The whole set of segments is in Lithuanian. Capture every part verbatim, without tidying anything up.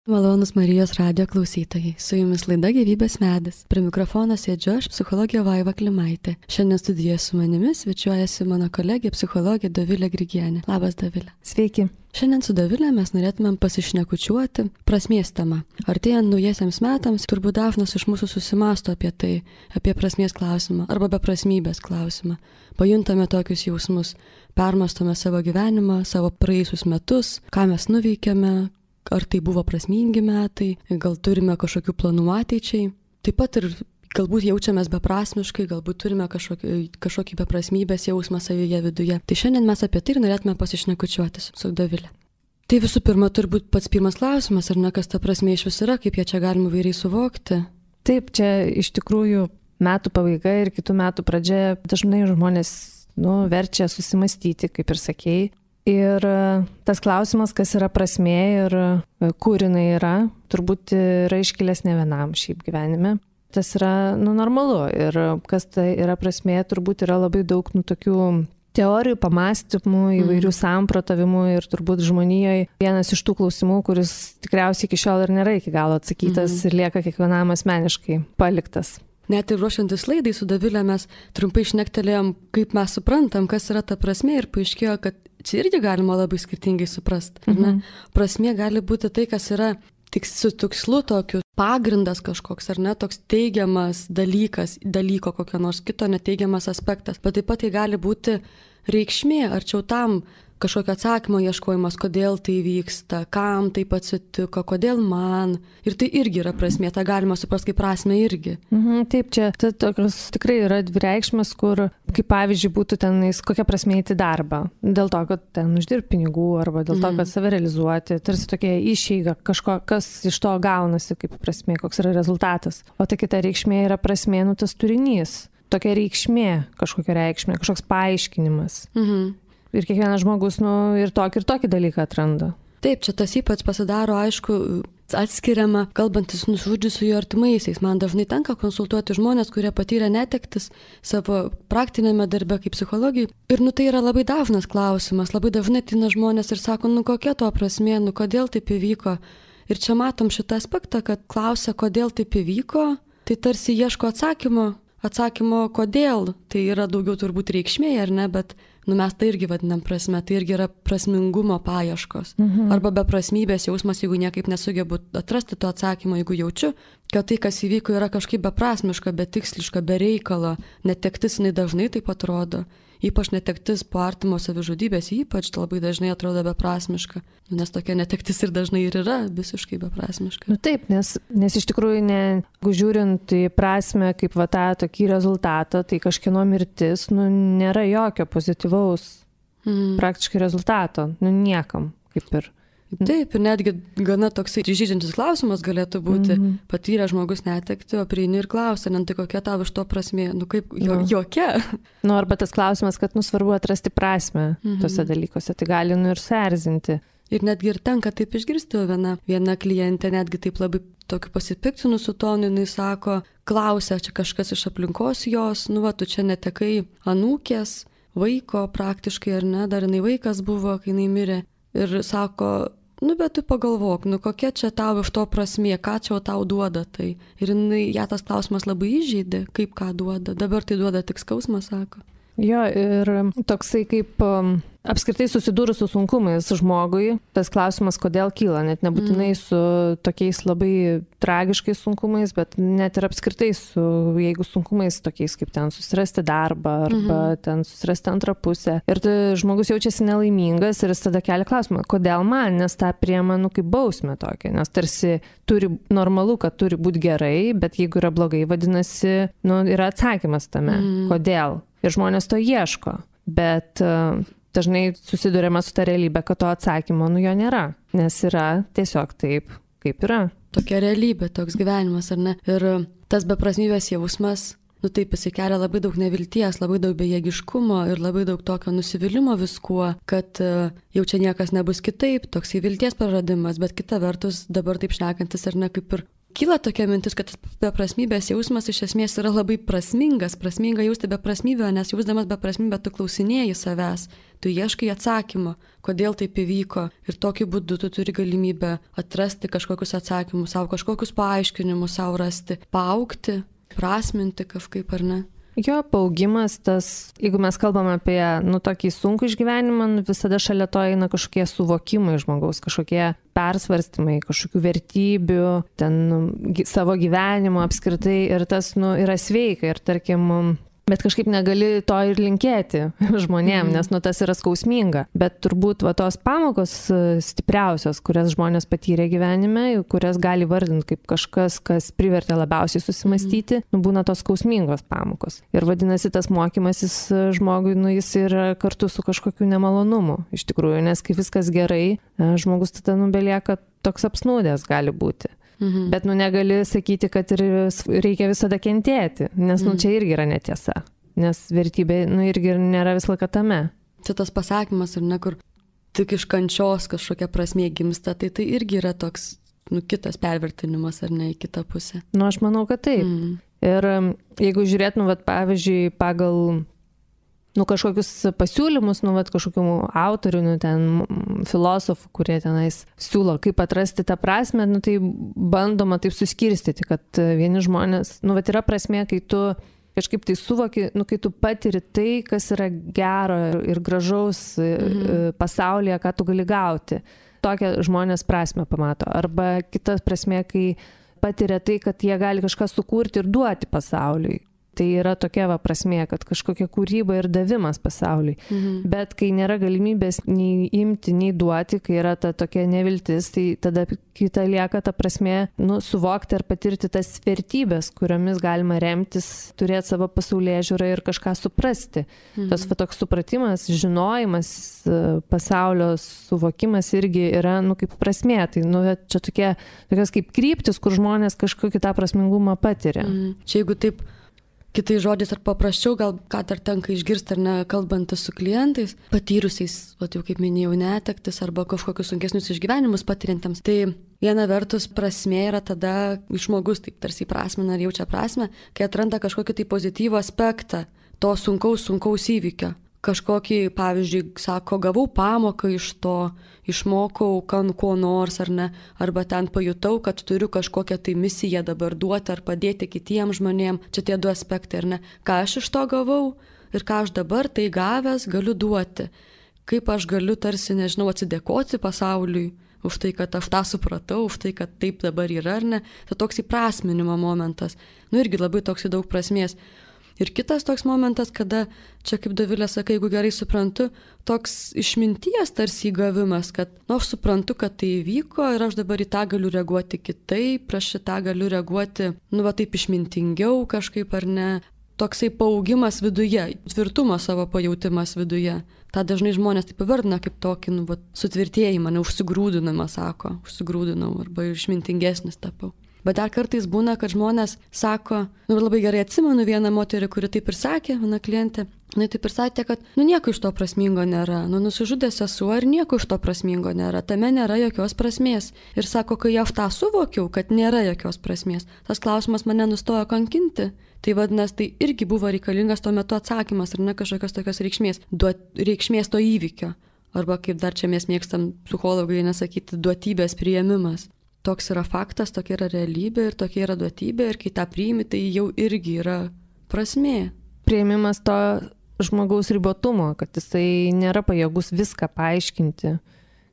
Malonus Marijos radijo klausytojai, su jumis laida Gyvybės medis. Prie mikrofono sėdžiu aš, psichologė Vaiva Klimaitė. Šiandien studijoje su manimi svečiuojasi mano kolegė psichologė Dovilė Grigienė. Labas, Dovilė. Sveiki. Šiandien su Dovilė mes norėtumėm pasišnekučiuoti prasmės temą. Artėjant naujiesiems metams, turbūt dažnas iš mūsų susimąsto apie tai, apie prasmės klausimą arba beprasmybės klausimą. Pajuntame tokius jausmus, permastome savo gyvenimą, savo praėjusius metus, ką mes nuveikėme, ar tai buvo prasmingi metai, gal turime kažkokių planų ateičiai. Taip pat ir galbūt jaučiamės beprasmiškai, galbūt turime kažkokį, kažkokį beprasmybės jausmą savyje viduje. Tai šiandien mes apie tai ir norėtume pasišnekučiuotis su Dovilė. Tai visų pirma, turbūt pats pirmas klausimas, ar ne, kas ta prasmė iš vis yra, kaip ją čia galima įvairiai suvokti. Taip, čia iš tikrųjų metų pabaiga ir kitų metų pradžia dažnai žmonės nu, verčia susimastyti, kaip ir sakėjai. Ir tas klausimas, kas yra prasmė ir kur jinai yra, turbūt yra iškilęs ne vienam šiaip gyvenime. Tas yra nu, normalu ir kas tai yra prasmė, turbūt yra labai daug nu, tokių teorijų, pamastymų, įvairių mm. samprotavimų ir turbūt žmonijoje vienas iš tų klausimų, kuris tikriausiai iki šiol ir nėra iki galo atsakytas mm. ir lieka kiekvienam asmeniškai paliktas. Net ir ruošiantis laidai su Dovilė mes trumpai šnektelėjom, kaip mes suprantam, kas yra ta prasmė ir paaiškėjo, kad čia irgi galima labai skirtingai suprasti. Mhm. Prasmė gali būti tai, kas yra tik su tikslu tokiu, pagrindas kažkoks, ar ne, toks teigiamas dalykas, dalyko kokio nors kito neteigiamas aspektas. Bet taip pat tai gali būti reikšmė, arčiau tam kažkokio atsakymo ieškojimas, kodėl tai vyksta, kam taip atsitiko, kodėl man. Ir tai irgi yra prasmė, tą galima suprasti kaip prasmę irgi. Mhm, taip, čia tai tokios tikrai yra dvi reikšmės, kur, kaip pavyzdžiui, būtų tenais kokia prasmė eiti darbą. Dėl to, kad ten uždirbti pinigų arba dėl to, kad save realizuoti. Tarsi tokia išeiga, kažko, kas iš to gaunasi kaip prasmė, koks yra rezultatas. O ta kita reikšmė yra prasmė, nu tas turinys. Tokia reikšmė, kažkokia reikšmė, kažkoks paaiškinimas. Mhm. Ir kiekvienas žmogus nu, ir tokį ir tokį dalyką atranda. Taip, čia tas ypač pasidaro, aišku, atskiriama, kalbantis nužudžiusiųjų artimaisiais. Man dažnai tenka konsultuoti žmonės, kurie patyrė netektis savo praktinėme darbe kaip psichologijai. Ir nu tai yra labai dažnas klausimas, labai dažnai ateina žmonės ir sako, nu kokia to prasmė, nu kodėl taip įvyko. Ir čia matom šitą aspektą, kad klausia, kodėl taip įvyko, tai tarsi ieško atsakymo, atsakymo kodėl. Tai yra daugiau turbūt reikšmė, ar ne, bet nu mes tai irgi vadinam prasme, tai irgi yra prasmingumo paieškos. Mhm. Arba beprasmybės jausmas, jeigu niekaip nesugebu atrasti to atsakymo, jeigu jaučiu, kad tai, kas įvyko, yra kažkaip beprasmiška, betiksliška, be reikalo. Netektis jinai dažnai taip atrodo. Ypač netektis po artimo savižudybės, ypač labai dažnai atrodo beprasmiška. Nes tokia netektis ir dažnai ir yra visiškai beprasmiška. Nu taip, nes, nes iš tikrųjų, ne, žiūrint į prasmę kaip va tą tokį rezultatą, tai kažkieno mirtis, nu nėra jokio pozityvaus mm. praktiškai rezultato, nu niekam kaip ir. Taip, ir netgi gana toksai žydžiantis klausimas galėtų būti, mm-hmm. patyrė žmogus netekti, o prieini ir klausia, ne tai kokia tavo iš to prasmė, nu kaip jo, no. jokia. Nu arba tas klausimas, kad nu svarbu atrasti prasmę mm-hmm. tose dalykuose, tai gali nu ir suerzinti. Ir netgi ir tenka taip išgirsti, viena, viena klientė netgi taip labai tokiu pasipiktinusiu tonu, jinai sako, klausia, čia kažkas iš aplinkos jos, nu va, tu čia netekai anūkės, vaiko praktiškai ar ne, dar jinai vaikas buvo, kai jinai mirė. Ir sako, nu bet tu pagalvok, nu kokia čia tau iš to prasmė, ką čia tau duoda tai. Ir jinai, ją tas klausimas labai įžeidė, kaip ką duoda. Dabar tai duoda tik skausmą, sako. Jo, ir toksai kaip um, apskritai susidūrus su sunkumais žmogui, tas klausimas, kodėl kyla, net nebūtinai mm. su tokiais labai tragiškais sunkumais, bet net ir apskritai su, jeigu sunkumais tokiais kaip ten susirasti darbą arba mm-hmm. ten susirasti antrą pusę. Ir tai žmogus jaučiasi nelaimingas ir jis tada kelia klausimą, kodėl man, nes tą priema nu kaip bausmę tokia, nes tarsi turi normalu, kad turi būti gerai, bet jeigu yra blogai, vadinasi, nu, yra atsakymas tame, mm. kodėl. Ir žmonės to ieško, bet uh, dažnai susidurėme su ta realybė, kad to atsakymo nu jo nėra, nes yra tiesiog taip, kaip yra. Tokia realybė, toks gyvenimas, ar ne? Ir tas beprasmybės jausmas, nu taip jisai kelia labai daug nevilties, labai daug bejėgiškumo ir labai daug tokio nusivylimo viskuo, kad uh, jau čia niekas nebus kitaip, toksai vilties praradimas, bet kita vertus dabar taip šnekantis, ar ne, kaip ir kyla tokia mintis, kad beprasmybės jausmas iš esmės yra labai prasmingas, prasminga jausti beprasmybę, nes jausdamas beprasmybę tu klausinėji savęs. tu ieškai atsakymą, kodėl taip įvyko ir tokiu būdu tu turi galimybę atrasti kažkokius atsakymus, savo kažkokius paaiškinimus, savo rasti, paaugti, prasminti kažkaip ar ne. Jo, paaugimas, tas, jeigu mes kalbame apie, nu, tokį sunkų išgyvenimą, nu, visada šalia to eina kažkokie suvokimai žmogaus, kažkokie persvarstymai, kažkokių vertybių, ten nu, savo gyvenimo apskritai ir tas, nu, yra sveika ir tarkim, bet kažkaip negali to ir linkėti žmonėm, mm. nes nu, tas yra skausminga. Bet turbūt va, tos pamokos stipriausios, kurias žmonės patyrė gyvenime, kurias gali vardinti kaip kažkas, kas privertė labiausiai susimastyti, mm. nu, būna tos skausmingos pamokos. Ir vadinasi, tas mokymasis žmogui, nu, jis yra kartu su kažkokiu nemalonumu, iš tikrųjų, nes kai viskas gerai, žmogus tada nubelieka toks apsnūdęs gali būti. Mhm. Bet, nu, negali sakyti, kad ir reikia visada kentėti, nes, nu, čia irgi yra netiesa, nes vertybė, nu, irgi nėra visą laiką tame. Čia tas pasakymas, ar ne, kur tik iš kančios kažkokia prasmė gimsta, tai tai irgi yra toks, nu, kitas pervertinimas, ar ne, į kitą pusę. Nu, aš manau, kad taip. Mhm. Ir jeigu žiūrėt, nu, vat, pavyzdžiui, pagal nu, kažkokius pasiūlymus, nu, vat, kažkokių autorių, nu, ten filosofų, kurie tenais siūlo, kaip atrasti tą prasmę, nu, tai bandoma taip suskirstyti, kad vieni žmonės, nu, vat, yra prasmė, kai tu kažkaip tai suvoki, nu, kai tu patiri tai, kas yra gero ir gražaus mhm. pasaulyje, ką tu gali gauti. Tokią žmonės prasmę pamato. Arba kita prasmė, kai patiria tai, kad jie gali kažką sukurti ir duoti pasauliui. Tai yra tokia va prasmė, kad kažkokia kūryba ir davimas pasauliui. Mhm. Bet kai nėra galimybės nei imti, nei duoti, kai yra ta tokia neviltis, tai tada kita lieka ta prasmė, nu, suvokti ar patirti tas vertybės, kuriomis galima remtis, turėti savo pasaulėžiūrą ir kažką suprasti. Mhm. Tas va toks supratimas, žinojimas, pasaulio suvokimas irgi yra, nu, kaip prasmė. Tai, nu, čia tokie, tokios kaip kryptis, kur žmonės kažkokį tą prasmingumą patiria. Mhm. Čia jeigu taip kitais žodžiais ar paprasčiau, gal ką dar tenka išgirsti ar ne, kalbantis su klientais, patyrusiais, o jau kaip minėjau, netektis arba kažkokius sunkesnius išgyvenimus patiriantiems. Tai viena vertus prasmė yra tada žmogus taip tarsi prasmina ar jaučia prasmę, kai atranda kažkokį tai pozityvų aspektą to sunkaus, sunkaus įvykio. Kažkokį, pavyzdžiui, sako, gavau pamoką iš to, išmokau ko nors ar ne, arba ten pajutau, kad turiu kažkokią tai misiją dabar duoti ar padėti kitiems žmonėms. Čia tie du aspektai, ar ne? Ką aš iš to gavau ir ką aš dabar tai gavęs galiu duoti. Kaip aš galiu tarsi, nežinau, atsidėkoti pasauliui už tai, kad aš tą supratau, už tai, kad taip dabar yra, ar ne. Tai toks įprasminimo momentas. Nu irgi labai toks daug prasmės. Ir kitas toks momentas, kada, čia kaip Dovilė sakai, jeigu gerai suprantu, toks išminties tarsi įgavimas, kad, nu, aš suprantu, kad tai įvyko ir aš dabar į tą galiu reaguoti kitaip, aš į tą galiu reaguoti, nu, va taip išmintingiau kažkaip ar ne. Toksai paaugimas viduje, tvirtumo savo pajautimas viduje. Ta dažnai žmonės taip įvardina kaip tokį, nu, va, sutvirtėjimą, neužsigrūdinamą, sako, užsigrūdinau arba išmintingesnis tapau. Bet dar kartais būna, kad žmonės sako, nu labai gerai atsimenu vieną moterį, kuri taip ir sakė, viena klientė, jinai taip ir sakė, kad nu nieko iš to prasmingo nėra, nu nusižudė sesuo ir nieko iš to prasmingo nėra, tame nėra jokios prasmės. Ir sako, kai aš tą suvokiau, kad nėra jokios prasmės, tas klausimas mane nustojo kankinti. Tai vadinasi, tai irgi buvo reikalingas tuo metu atsakymas, ar ne kažkokios tokios reikšmės, duot, reikšmės to įvykio. Arba kaip dar čia mes mėgstam psichologai nesakyti, duotybės priėmimas. Toks yra faktas, tokia yra realybė ir tokia yra duotybė ir kai tą priimi, tai jau irgi yra prasmė. Priėmimas to žmogaus ribotumo, kad jisai nėra pajėgus viską paaiškinti,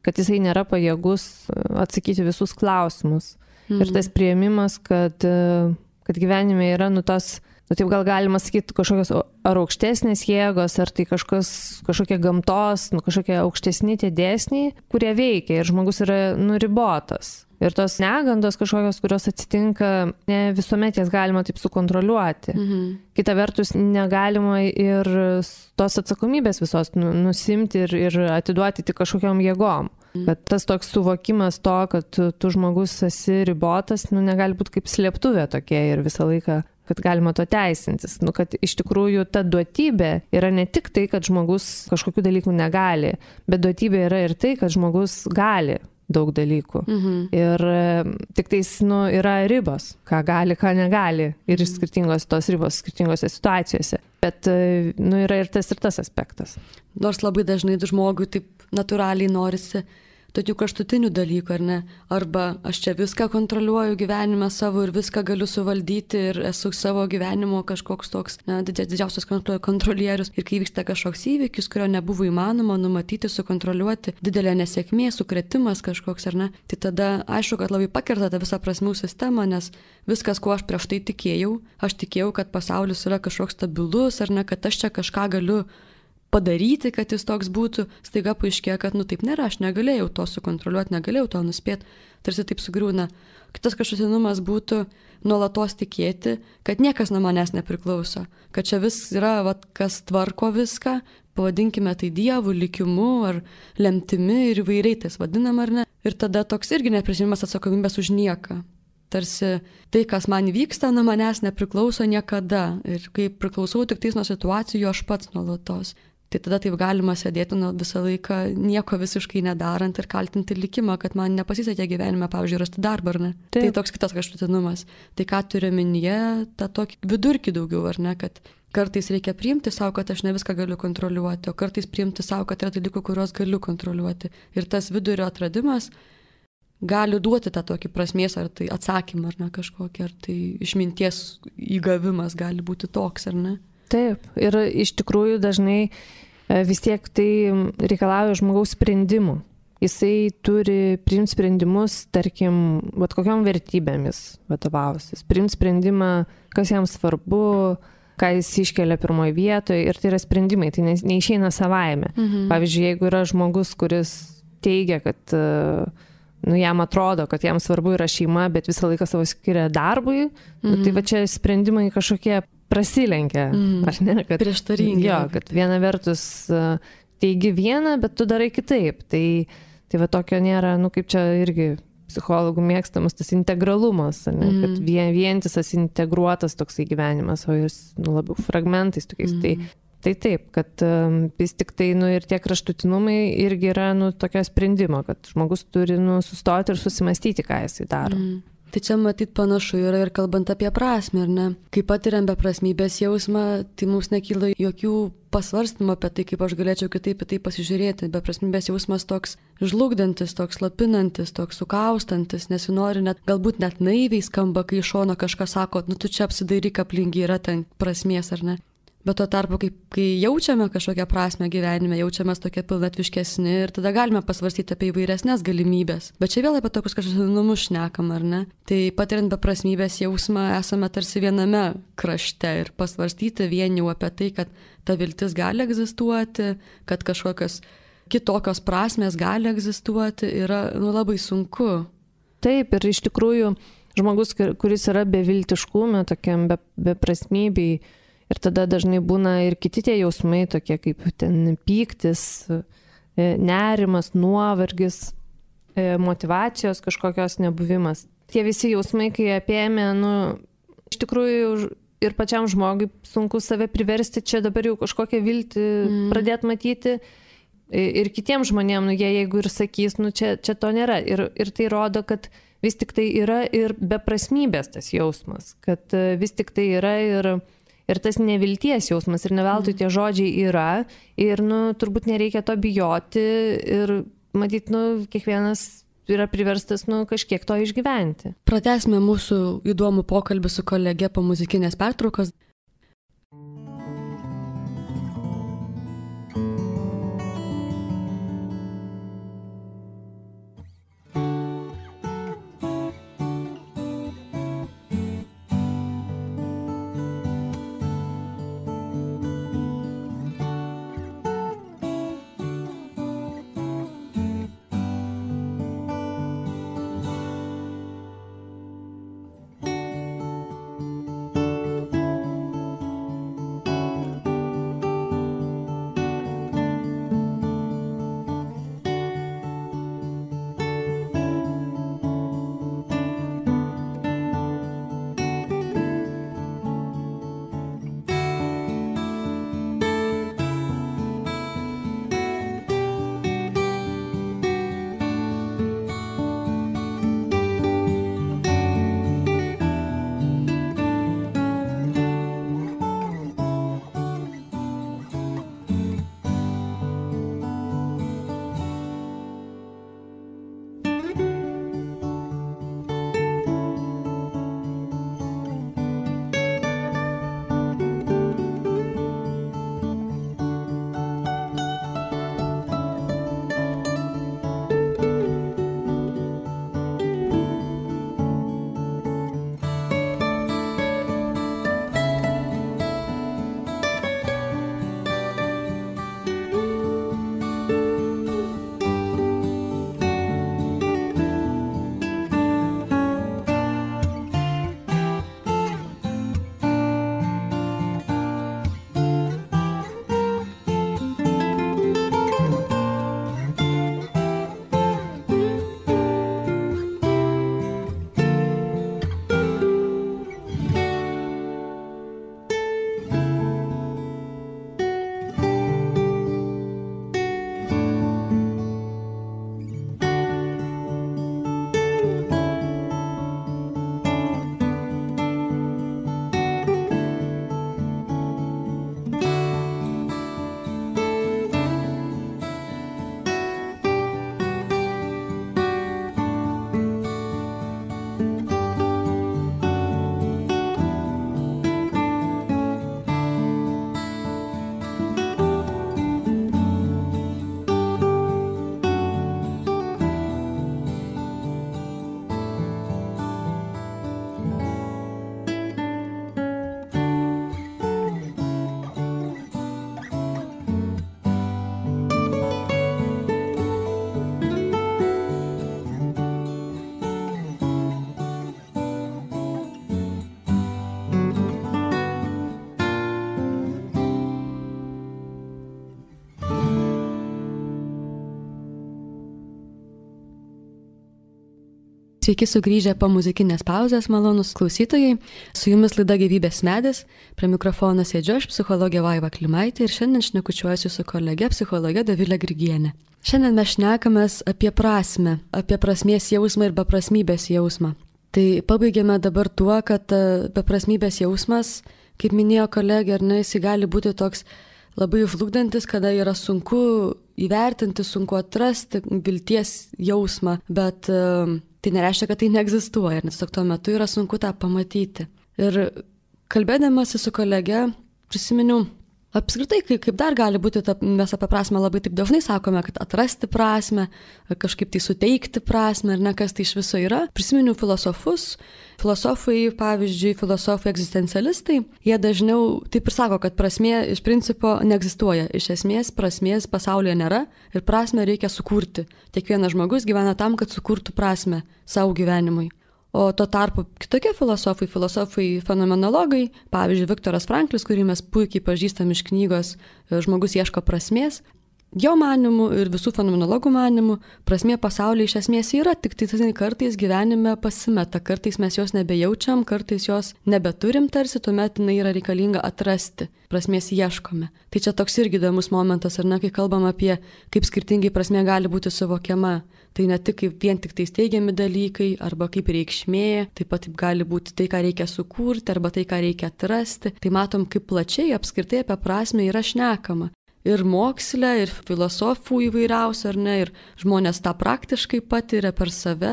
kad jisai nėra pajėgus atsakyti visus klausimus. Mhm. Ir tas priėmimas, kad, kad gyvenime yra nu tos, nu taip gal galima sakyti, kažkokios ar aukštesnės jėgos, ar tai kažkas, kažkokie gamtos, nu kažkokie aukštesni tie dėsniai, kurie veikia ir žmogus yra nuribotas. Ir tos negandos kažkokios, kurios atsitinka, ne visuomet jas galima taip sukontroliuoti. Mhm. Kita vertus, negalima ir tos atsakomybės visos nusimti ir, ir atiduoti tik kažkokiom jėgom. Mhm. Kad tas toks suvokimas to, kad tu, tu žmogus esi ribotas, nu, negali būti kaip slėptuvė tokia ir visą laiką, kad galima to teisintis. Nu, kad iš tikrųjų ta duotybė yra ne tik tai, kad žmogus kažkokių dalykų negali, bet duotybė yra ir tai, kad žmogus gali daug dalykų. Mhm. Ir tik tais, nu, yra ribos, ką gali, ką negali. Ir skirtingos tos ribos skirtingose situacijose. Bet, nu, yra ir tas ir tas aspektas. Nors labai dažnai žmogui taip natūraliai norisi tokių kraštutinių dalykų, ar ne? Arba aš čia viską kontroliuoju gyvenime savo ir viską galiu suvaldyti ir esu savo gyvenimo kažkoks toks, na, didžiausias kontrolierius. Ir kai vyksta kažkoks įvykis, kurio nebuvo įmanoma numatyti, sukontroliuoti, didelė nesėkmė, sukretimas kažkoks, ar ne? Tai tada aišku, kad labai pakerta tą visą prasmių sistemą, nes viskas, kuo aš prieš tai tikėjau, aš tikėjau, kad pasaulis yra kažkoks stabilus, ar ne, kad aš čia kažką galiu padaryti, kad jis toks būtų, staiga paaiškėjo, kad nu taip nėra, aš negalėjau to sukontroliuoti, negalėjau to nuspėti, tarsi taip sugriūna. Kitas kraštutinumas būtų nuolatos tikėti, kad niekas nuo manęs nepriklauso, kad čia vis yra, vat, kas tvarko viską, pavadinkime tai dievu, likimu ar lemtimi ir įvairiai tas vadinam ar ne. Ir tada toks irgi neprisiimamas atsakomybės už nieką. Tarsi tai, kas man vyksta, nuo manęs nepriklauso niekada. Ir kai priklausau tik tais nuo situacijų, aš pats nuolatos. Tai tada taip galima sėdėti nu, visą laiką nieko visiškai nedarant ir kaltinti likimą, kad man nepasisekė gyvenime, pavyzdžiui, rasti darbą, ar ne? Taip. Tai toks kitas kraštutinumas. Tai ką turiu omenyje, tą tokį vidurkį daugiau, ar ne? Kad kartais reikia priimti savo, kad aš ne viską galiu kontroliuoti, o kartais priimti savo, kad yra dalykų, kuriuos galiu kontroliuoti. Ir tas vidurio atradimas gali duoti tą tokį prasmės, ar tai atsakymą, ar ne kažkokį, ar tai išminties įgavimas gali būti toks, ar ne? Taip, ir iš tikrųjų dažnai vis tiek tai reikalauja žmogaus sprendimų. Jisai turi priimti sprendimus, tarkim, vat kokiom vertybėmis vadovausis. Priimti sprendimą, kas jam svarbu, ką jis iškelia pirmoje vietoje, ir tai yra sprendimai, tai neišeina savaime. Mhm. Pavyzdžiui, jeigu yra žmogus, kuris teigia, kad nu, jam atrodo, kad jam svarbu yra šeima, bet visą laiką savo skiria darbui, mhm. nu, tai va čia sprendimai kažkokie prasilenkia, mm. ar ne? Kad, prieštaringi. Jo, kad viena vertus teigi vieną, bet tu darai kitaip. Tai, tai va tokio nėra, nu kaip čia irgi psichologų mėgstamas tas integralumas, ne? Mm. Kad vien, vientisas integruotas toksai gyvenimas, o jis nu, labiau fragmentais tokiais. Mm. Tai, tai taip, kad um, vis tik tai nu, ir tie kraštutinumai irgi yra nu, tokio sprendimo, kad žmogus turi nu, sustoti ir susimastyti, ką jisai daro. Mm. Tai čia matyt panašu yra ir kalbant apie prasmę, ar ne? Kai patiriam beprasmybės jausmą, tai mums nekyla jokių pasvarstymų apie tai, kaip aš galėčiau kitaip į tai pasižiūrėti. Beprasmybės jausmas toks žlugdantis, toks lapinantis, toks sukaustantis, nesinori net, galbūt net naiviai skamba, kai iš šono kažkas sako, nu tu čia apsidairyk aplink, yra ten prasmės, ar ne? Bet tuo tarpu, kai, kai jaučiame kažkokią prasmę gyvenime, jaučiamės tokie pilnatviškesni ir tada galime pasvarstyti apie įvairesnės galimybės. Bet čia vėl apie tokius kraštutinumus šnekam, ar ne? Tai patiriant beprasmybės jausmą esame tarsi viename krašte ir pasvarstyti vien jau apie tai, kad ta viltis gali egzistuoti, kad kažkokios kitokios prasmės gali egzistuoti, yra nu, labai sunku. Taip, ir iš tikrųjų žmogus, kuris yra beviltiškume, tokiam be, beprasmybei, ir tada dažnai būna ir kiti tie jausmai, tokie kaip ten pyktis, nerimas, nuovargis, motyvacijos kažkokios nebuvimas. Tie visi jausmai, kai apėmė, nu, iš tikrųjų ir pačiam žmogui sunku save priversti čia dabar jau kažkokią viltį mm. pradėti matyti. Ir kitiems žmonėms, nu, jie jeigu ir sakys, nu, čia, čia to nėra. Ir, ir tai rodo, kad vis tik tai yra ir beprasmybės tas jausmas, kad vis tik tai yra ir Ir tas nevilties jausmas, ir neveltui tie žodžiai yra, ir, nu, turbūt nereikia to bijoti, ir, matyt, nu, kiekvienas yra priverstas, nu, kažkiek to išgyventi. Pratęsime mūsų įdomų pokalbį su kolege po muzikinės pertraukos. Sveiki sugrįžę po muzikinės pauzės, malonus klausytojai. Su jumis laida Gyvybės medis. Prie mikrofono sėdžiu aš, psichologė Vaiva Klimaitė, ir šiandien šnekučiuosiu su kolege psichologė Dovilė Grigienė. Šiandien mes šnekamės apie prasmę, apie prasmės jausmą ir beprasmybės jausmą. Tai pabaigėme dabar tuo, kad beprasmybės jausmas, kaip minėjo kolegė, ar ne, jis gali būti toks labai žlugdantis, kada yra sunku įvertinti, sunku atrasti vilties jausmą, bet uh, tai nereiškia, kad tai neegzistuoja, nes tiesiog tuo metu yra sunku tą pamatyti. Ir kalbėdamasi su kolege prisiminiau apskritai, kaip dar gali būti, ta, mes apie prasmę labai taip dažnai sakome, kad atrasti prasmę, kažkaip tai suteikti prasmę, ar ne, kas tai iš viso yra. Prisiminiau filosofus, filosofai, pavyzdžiui, filosofai egzistencialistai, jie dažniau taip ir sako, kad prasmė iš principo neegzistuoja. Iš esmės prasmės pasaulyje nėra ir prasmę reikia sukurti. Kiekvienas žmogus gyvena tam, kad sukurtų prasmę savo gyvenimui. O tuo tarpu kitokie filosofai, filosofai fenomenologai, pavyzdžiui, Viktoras Franklis, kurį mes puikiai pažįstam iš knygos Žmogus ieško prasmės, jo manimu ir visų fenomenologų manimu, prasmė pasaulyje iš esmės yra, tik tai kartais gyvenime pasimeta, kartais mes jos nebejaučiam, kartais jos nebeturim tarsi, tuomet jinai yra reikalinga atrasti, prasmės ieškome. Tai čia toks irgi įdomus momentas, ar ne, kai kalbam apie, kaip skirtingai prasmė gali būti suvokiama. Tai ne tik kaip vien tik tai teigiami dalykai, arba kaip reikšmė, taip pat gali būti tai, ką reikia sukurti, arba tai, ką reikia atrasti. Tai matom, kaip plačiai apskritai apie prasmę yra šnekama. Ir moksle, ir filosofų įvairiausių, ar ne, ir žmonės tą praktiškai patiria per save.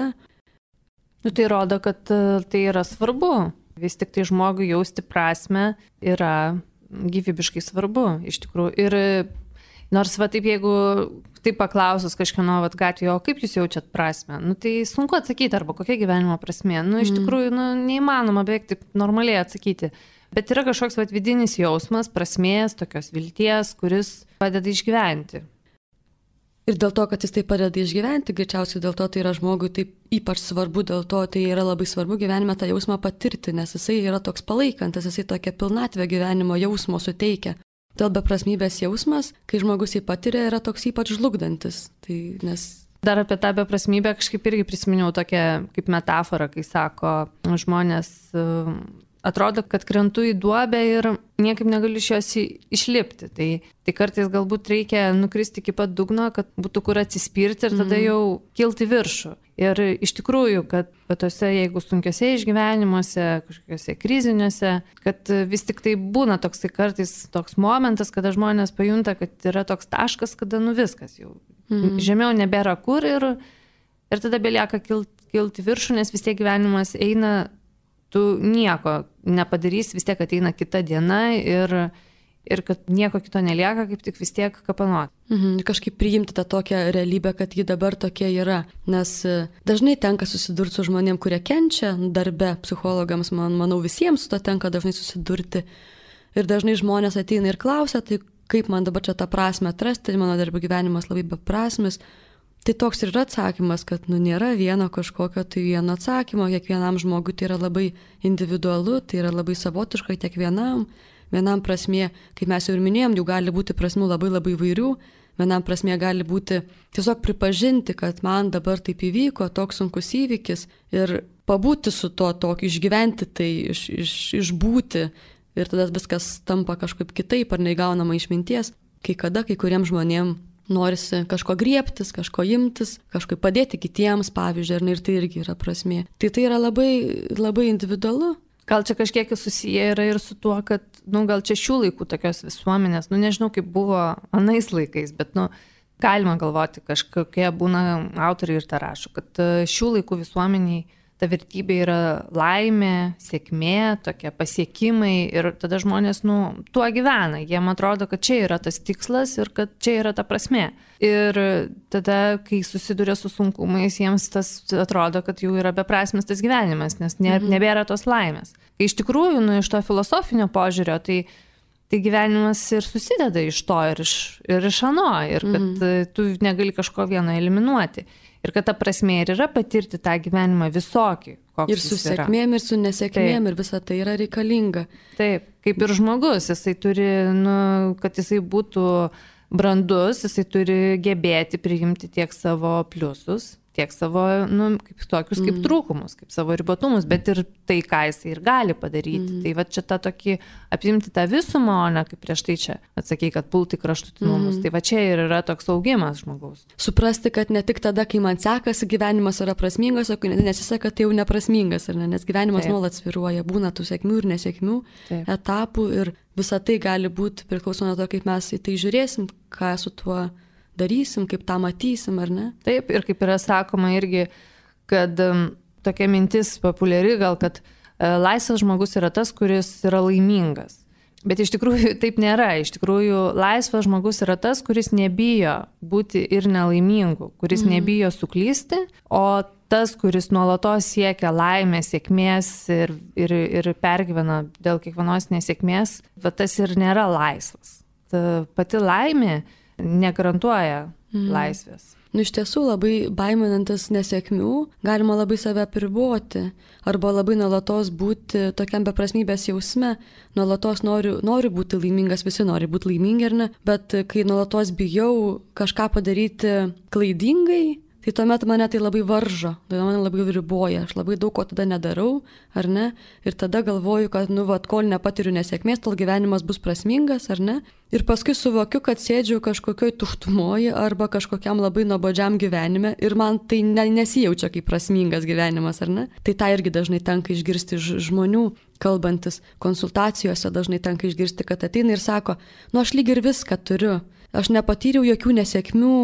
Nu, tai rodo, kad tai yra svarbu. Vis tik tai žmogui jausti prasmę yra gyvybiškai svarbu, iš tikrųjų. Ir nors va taip, jeigu taip paklausus kažkieno vat gatvėje, o kaip jūs jaučiat prasmę, nu tai sunku atsakyti, arba kokia gyvenimo prasmė. Nu, iš tikrųjų, nu, neįmanoma beveik taip normaliai atsakyti. Bet yra kažkoks vat vidinis jausmas, prasmės, tokios vilties, kuris padeda išgyventi. Ir dėl to, kad jis tai padeda išgyventi, greičiausiai dėl to tai yra žmogui taip ypač svarbu, dėl to tai yra labai svarbu gyvenime tą jausmą patirti, nes jisai yra toks palaikantis, jisai tokia pilnatvė gyvenimo jausmo suteikia. Dėl beprasmybės jausmas, kai žmogus jį patiria, yra toks ypač žlugdantis. Tai nes... Dar apie tą beprasmybę kažkaip irgi prisiminiau tokią kaip metaforą, kai sako žmonės, atrodo, kad krentu į duobę ir niekaip negaliu iš jos išlipti. Tai, tai kartais galbūt reikia nukristi iki pat dugno, kad būtų kur atsispirti ir tada jau kilti viršų. Ir iš tikrųjų, kad tose, jeigu sunkiose išgyvenimuose, kažkokiuose kriziniuose, kad vis tik tai būna toks tai kartais toks momentas, kada žmonės pajunta, kad yra toks taškas, kada nu viskas jau mm. žemiau nebėra kur ir, ir tada belieka kilti, kilti viršų, nes vis tiek gyvenimas eina, tu nieko nepadarys, vis tiek ateina kita diena ir, ir kad nieko kito nelieka, kaip tik vis tiek kapanuoti. Mhm, kažkaip priimti tą tokią realybę, kad ji dabar tokia yra. Nes dažnai tenka susidurti su žmonėm, kurie kenčia darbe, psichologams, man, manau, visiems su to tenka dažnai susidurti. Ir dažnai žmonės ateina ir klausia, tai kaip man dabar čia tą prasmę atrasti, mano darbo gyvenimas labai beprasmis. Tai toks ir yra atsakymas, kad nu, nėra vieno kažkokio tai vieno atsakymo, kiekvienam žmogui tai yra labai individualu, tai yra labai savotiškai kiekvienam. Vienam prasmė, kaip mes jau ir minėjom, jų gali būti prasmių labai labai vairių, vienam prasmė gali būti tiesiog pripažinti, kad man dabar taip įvyko, toks sunkus įvykis ir pabūti su to, tokį išgyventi tai, iš, iš, išbūti ir tada viskas tampa kažkaip kitaip ar neįgaunama išminties, kai kada kai kuriems žmonėms norisi kažko griebtis, kažko imtis, kažko padėti kitiems, pavyzdžiui, ir tai irgi yra prasmė. Tai tai yra labai, labai individualu. Gal čia kažkiek susiję yra ir su tuo, kad, nu, gal čia šių laikų tokios visuomenės, nu, nežinau, kaip buvo anais laikais, bet, nu, galima galvoti, kažkokie būna autoriai ir tą rašo, kad šių laikų visuomeniai ta vertybė yra laimė, sėkmė, tokie pasiekimai ir tada žmonės, nu, tuo gyvena. Jiem atrodo, kad čia yra tas tikslas ir kad čia yra ta prasmė. Ir tada, kai susiduria su sunkumais, jiems tas atrodo, kad jau yra beprasmis tas gyvenimas, nes ne, nebėra tos laimės. Kai iš tikrųjų, nu, iš to filosofinio požiūrio, tai, tai gyvenimas ir susideda iš to ir iš, ir iš ano, ir kad mm. tu negali kažko vieno eliminuoti. Ir kad ta prasmė ir yra patirti tą gyvenimą visokį. Ir su sėkmėm, ir su nesėkmėm, ir visa tai yra reikalinga. Taip, kaip ir žmogus, jisai turi, nu, kad jisai būtų brandus, jisai turi gebėti priimti tiek savo pliusus, tiek savo, nu, kaip tokius kaip mm. trūkumus, kaip savo ribotumus, bet ir tai, ką jis ir gali padaryti. Mm. Tai va čia tą tokį apimti tą visumą, o ne kaip prieš tai čia atsakei, kad pulti kraštutinumus. Mm. Tai va čia ir yra toks augimas žmogaus. Suprasti, kad ne tik tada, kai man sekasi, gyvenimas yra prasmingas, o kai nesiseka, tai jau neprasmingas, ar ne? Nes gyvenimas Taip. Nuolat svyruoja, būna tų sėkmių ir nesėkmių, Taip. Etapų ir visa tai gali būti priklauso nuo to, kaip mes į tai žiūrėsim, ką su tuo darysim, kaip tą matysim, ar ne? Taip, ir kaip yra sakoma irgi, kad um, tokia mintis populiari gal, kad uh, laisvas žmogus yra tas, kuris yra laimingas. Bet iš tikrųjų taip nėra. Iš tikrųjų laisvas žmogus yra tas, kuris nebijo būti ir nelaimingu, kuris mm. nebijo suklysti, o tas, kuris nuolatos siekia laimės, sėkmės ir, ir, ir pergyvena dėl kiekvienos nesėkmės, va tas ir nėra laisvas. Ta pati laimė negarantuoja mm. laisvės. Nu, iš tiesų, labai baiminantis nesėkmių, galima labai save apriboti arba labai nuolatos būti tokiam beprasmybės jausme. Nuolatos noriu, noriu būti laimingas, visi nori būti laimingi, ar ne? Bet kai nuolatos bijau kažką padaryti klaidingai, tai tuomet mane tai labai varžo, tai mane labai riboja, aš labai daug ko tada nedarau, ar ne? Ir tada galvoju, kad, nu, vat, kol nepatiriu nesėkmės, tol gyvenimas bus prasmingas, ar ne? Ir paskui suvokiu, kad sėdžiu kažkokioj tuštumoje arba kažkokiam labai nuobodžiam gyvenime ir man tai ne, nesijaučia kaip prasmingas gyvenimas, ar ne? Tai tą irgi dažnai tenka išgirsti iš žmonių, kalbantis konsultacijose, dažnai tenka išgirsti, kad ateina ir sako, nu, aš lyg ir viską turiu. Aš nepatyriau jokių nesėkmių,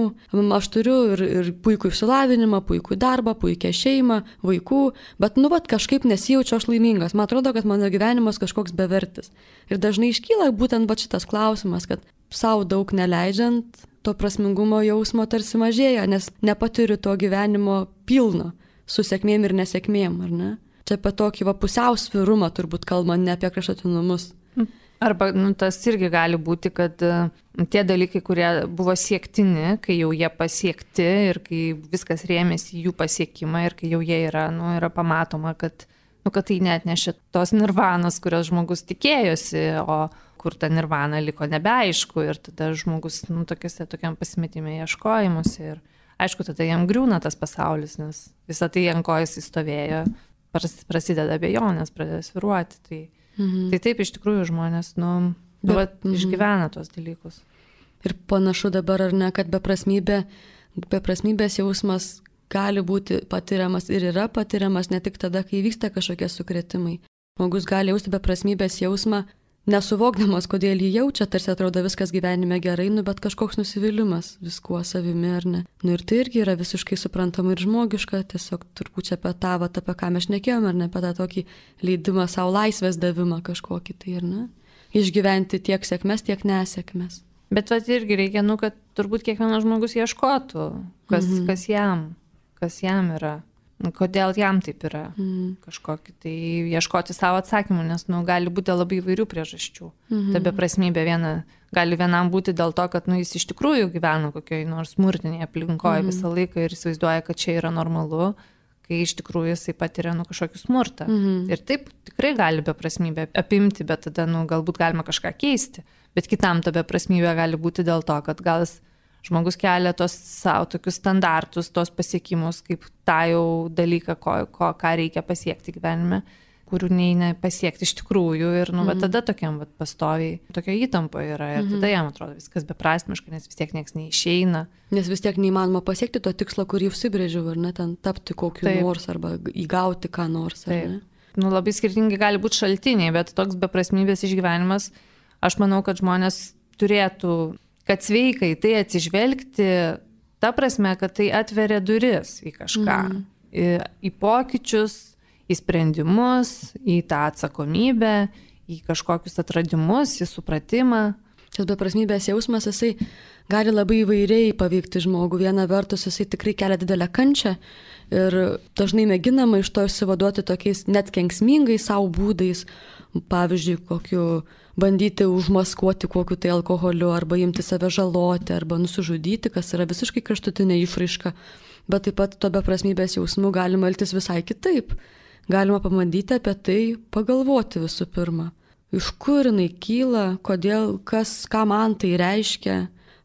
aš turiu ir, ir puikų išsilavinimą, puikų darbą, puikią šeimą, vaikų, bet nu vat kažkaip nesijaučiu aš laimingas. Man atrodo, kad mano gyvenimas kažkoks bevertis. Ir dažnai iškyla būtent va šitas klausimas, kad savo daug neleidžiant, to prasmingumo jausmo tarsi mažėja, nes nepatiriu to gyvenimo pilno, su sėkmėm ir nesėkmėm, ar ne? Čia apie tokį va pusiausvyrumą turbūt kalbant, ne apie kraštutinumus. Arba nu, tas irgi gali būti, kad uh, tie dalykai, kurie buvo siektini, kai jau jie pasiekti ir kai viskas rėmėsi jų pasiekimą ir kai jau jie yra, nu, yra pamatoma, kad, nu, kad tai net nešia tos nirvanos, kurios žmogus tikėjosi, o kur ta nirvana liko nebeaišku ir tada žmogus nu, tokiuose tokiam pasimetime ieškojimuose ir aišku, tada jam griūna tas pasaulis, nes visą tai ant ko jis įstovėjo, prasideda abejonės, pradeda svyruoti. Tai Mhm. Tai taip iš tikrųjų žmonės, nu, nu va, mhm. išgyvena tos dalykus. Ir panašu dabar, ar ne, kad beprasmybė, beprasmybės jausmas gali būti patiriamas ir yra patiriamas ne tik tada, kai vyksta kažkokie sukrėtimai. Žmogus gali jausti beprasmybės jausmą, nesuvokdamas, kodėl jį jaučia, tarsi atrodo viskas gyvenime gerai, nu, bet kažkoks nusivylimas viskuo savimi, ar ne. Nu ir tai irgi yra visiškai suprantama ir žmogiška, tiesiog turbūt čia apie tą, vat, apie ką mes šnekėjome, ar ne, apie tą tokį leidimą savo laisvės davimą kažkokį, tai ar ne. Išgyventi tiek sėkmės, tiek nesėkmės. Bet vat irgi reikia, nu, kad turbūt kiekvienas žmogus ieškotų, kas, mhm. kas jam, kas jam yra. Kodėl jam taip yra mm. kažkokį, tai ieškoti savo atsakymų, nes nu, gali būti labai įvairių priežasčių. Mm-hmm. Ta beprasmybė viena, gali vienam būti dėl to, kad nu, jis iš tikrųjų gyvena kokioj nors smurtinėje aplinkoje mm-hmm. visą laiką ir įsivaizduoja, kad čia yra normalu, kai iš tikrųjų jisai patiria nu, kažkokį smurtą. Mm-hmm. Ir taip tikrai gali beprasmybę apimti, bet tada nu, galbūt galima kažką keisti. Bet kitam ta beprasmybė gali būti dėl to, kad gal jis žmogus kelia tos savo tokius standartus, tos pasiekimus, kaip tą jau dalyką, ko, ko, ką reikia pasiekti gyvenime, kurių neina pasiekti iš tikrųjų. Ir nu, mm. tada tokiam vat, pastoviai, tokio įtampo yra. Ir mm-hmm. tada jam atrodo viskas beprasmiška, nes vis tiek nieks neišeina. Nes vis tiek neįmanoma pasiekti to tikslo, kurį užsibrėžiau, ar ne, ten tapti kokiu Taip. Nors arba įgauti ką nors. Ar ne? Nu, labai skirtingi gali būti šaltiniai, bet toks beprasmybės išgyvenimas, aš manau, kad žmonės turėtų kad sveikai tai atsižvelgti, ta prasme, kad tai atveria duris į kažką, mm. į, į pokyčius, į sprendimus, į tą atsakomybę, į kažkokius atradimus, į supratimą. Šis beprasmybės jausmas, jisai gali labai įvairiai paveikti žmogų. Viena vertus, jisai tikrai kelia didelę kančią ir dažnai mėginama iš to išsivaduoti tokiais net kenksmingais savo būdais, pavyzdžiui, kokiu bandyti užmaskuoti kokiu tai alkoholiu, arba imti save žaloti, arba nusižudyti, kas yra visiškai kraštutinė išraiška. Bet taip pat to beprasmybės jausmų galima elgtis visai kitaip. Galima pamandyti apie tai pagalvoti visų pirma. Iš kur jinai kyla, kodėl, kas, ką man tai reiškia,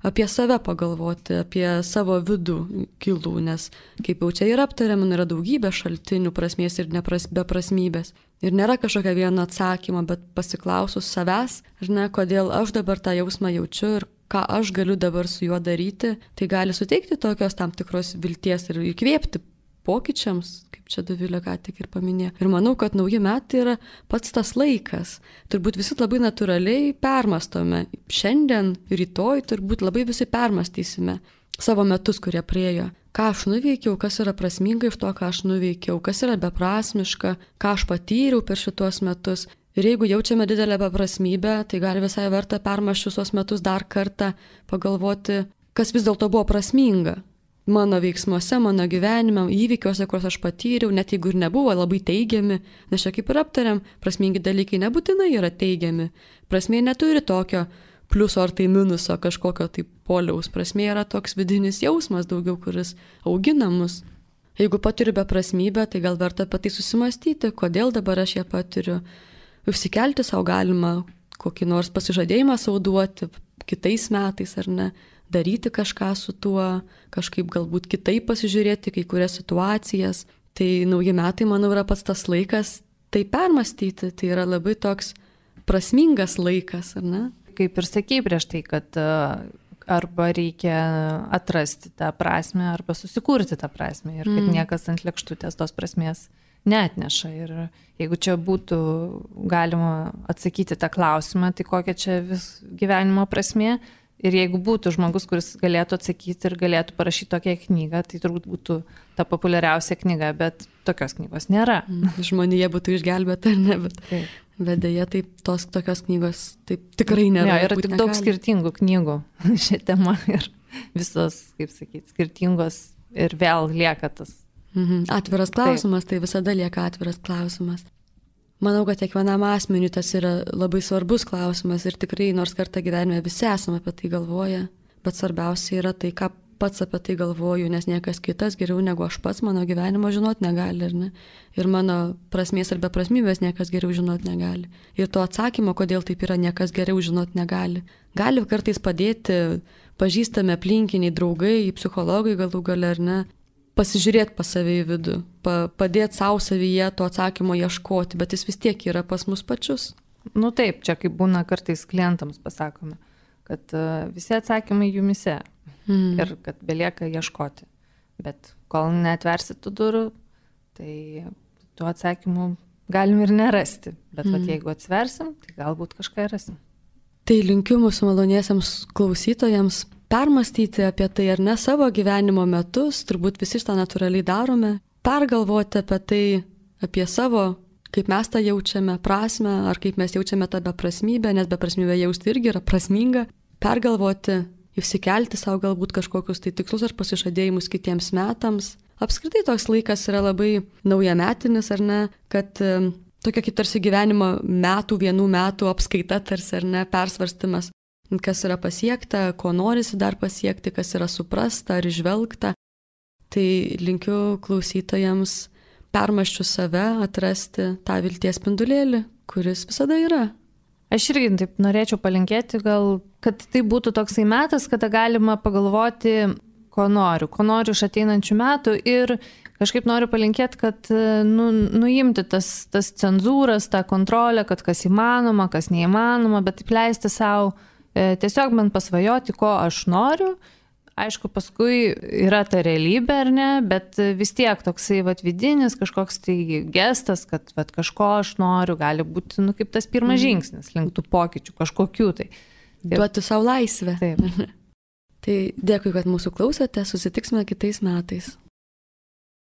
apie save pagalvoti, apie savo vidų gilų, nes kaip jau čia ir aptariam, yra daugybė šaltinių prasmės ir nepras, beprasmybės. Ir nėra kažkokio vieno atsakymo, bet pasiklausus savęs, žinai, kodėl aš dabar tą jausmą jaučiu ir ką aš galiu dabar su juo daryti, tai gali suteikti tokios tam tikros vilties ir įkvėpti pokyčiams, kaip čia Dovilė ką tik ir paminėjo. Ir manau, kad nauji metai yra pats tas laikas. Turbūt visi labai natūraliai permastome. Šiandien, rytoj turbūt labai visi permastysime savo metus, kurie praėjo. Ką aš nuveikiau, kas yra prasminga iš to, ką aš nuveikiau, kas yra beprasmiška, ką aš patyriau per šitos metus. Ir jeigu jaučiame didelę beprasmybę, tai gali visai verta permąsčius tuos metus dar kartą pagalvoti, kas vis dėlto buvo prasminga. Mano veiksmuose, mano gyvenime, įvykiuose, kuriuos aš patyriau, net jeigu ir nebuvo labai teigiami, nes čia kaip ir aptariam, prasmingi dalykai nebūtinai yra teigiami. Prasmė neturi tokio pliuso ar tai minuso kažkokio tai poliaus. Prasmė yra toks vidinis jausmas daugiau, kuris augina mus. Jeigu patiriu beprasmybę, tai gal verta apie tai susimastyti, kodėl dabar aš ją patiriu. Užsikelti savo galima kokį nors pasižadėjimą sau duoti kitais metais ar ne. Daryti kažką su tuo, kažkaip galbūt kitaip pasižiūrėti kai kurias situacijas. Tai nauji metai, manau, yra pats tas laikas tai permastyti. Tai yra labai toks prasmingas laikas, ar ne? Kaip ir sakei prieš tai, kad arba reikia atrasti tą prasmę, arba susikurti tą prasmę. Ir kad mm. niekas ant lėkštutės tos prasmės neatneša. Ir jeigu čia būtų galima atsakyti tą klausimą, tai kokia čia vis gyvenimo prasmė. Ir jeigu būtų žmogus, kuris galėtų atsakyti ir galėtų parašyti tokią knygą, tai turbūt būtų ta populiariausia knyga, bet tokios knygos nėra. Žmonija būtų išgelbėta, ne, bet, bet dėja taip, tos tokios knygos taip tikrai nėra. Ja, yra tik daug skirtingų knygų šią temą ir visos, kaip sakyti, skirtingos ir vėl lieka tas. Mhm. Atviras klausimas, taip. Tai visada lieka atviras klausimas. Manau, kad kiekvienam asmeniui tas yra labai svarbus klausimas ir tikrai nors kartą gyvenime visi esame apie tai galvoję, bet svarbiausia yra tai, ką pats apie tai galvoju, nes niekas kitas geriau negu aš pats mano gyvenimo žinot negali, ar ne? Ir mano prasmės ar beprasmybės niekas geriau žinot negali. Ir to atsakymo, kodėl taip yra, niekas geriau žinot negali. Gali kartais padėti pažįstami aplinkiniai, draugai, psichologai galų gale, ar ne? Pasižiūrėti pas save į vidų, pa, padėti savo savyje to atsakymo ieškoti, bet jis vis tiek yra pas mus pačius. Nu taip, čia kaip būna kartais klientams pasakome, kad uh, visi atsakymai jumise mm. ir kad belieka ieškoti. Bet kol neatversit tų durų, tai tų atsakymų galim ir nerasti. Bet mm. vat, jeigu atsversim, tai galbūt kažką rasim. Tai linkiu mūsų maloniesiems klausytojams permastyti apie tai ar ne savo gyvenimo metus, turbūt visi šitą natūraliai darome, pergalvoti apie tai, apie savo, kaip mes tą jaučiame, prasmę, ar kaip mes jaučiame tą beprasmybę, nes beprasmybę jausti irgi yra prasminga, pergalvoti, išsikelti savo galbūt kažkokius tai tikslus ar pasižadėjimus kitiems metams. Apskritai toks laikas yra labai naujametinis, ar ne, kad um, tokia kaip tarsi gyvenimo metų, vienų metų apskaita tarsi, ar ne, persvarstymas. Kas yra pasiekta, ko norisi dar pasiekti, kas yra suprasta ar išvelgta. Tai linkiu klausytojams permąsčius save atrasti tą vilties spindulėlį, kuris visada yra. Aš irgi taip norėčiau palinkėti, gal, kad tai būtų toksai metas, kada galima pagalvoti, ko noriu, ko noriu iš ateinančių metų ir kažkaip noriu palinkėti, kad nu, nuimti tas, tas cenzūras, tą kontrolę, kad kas įmanoma, kas neįmanoma, bet taip leisti savo tiesiog man pasvajoti, ko aš noriu. Aišku, paskui yra ta realybė, ar ne, bet vis tiek toksai vat, vidinis kažkoks tai gestas, kad vat, kažko aš noriu, gali būti nu, kaip tas pirmas žingsnis link tų pokyčių, kažkokių tai. Duoti savo laisvę. Taip. Tai dėkui, kad mūsų klausėte, susitiksime kitais metais.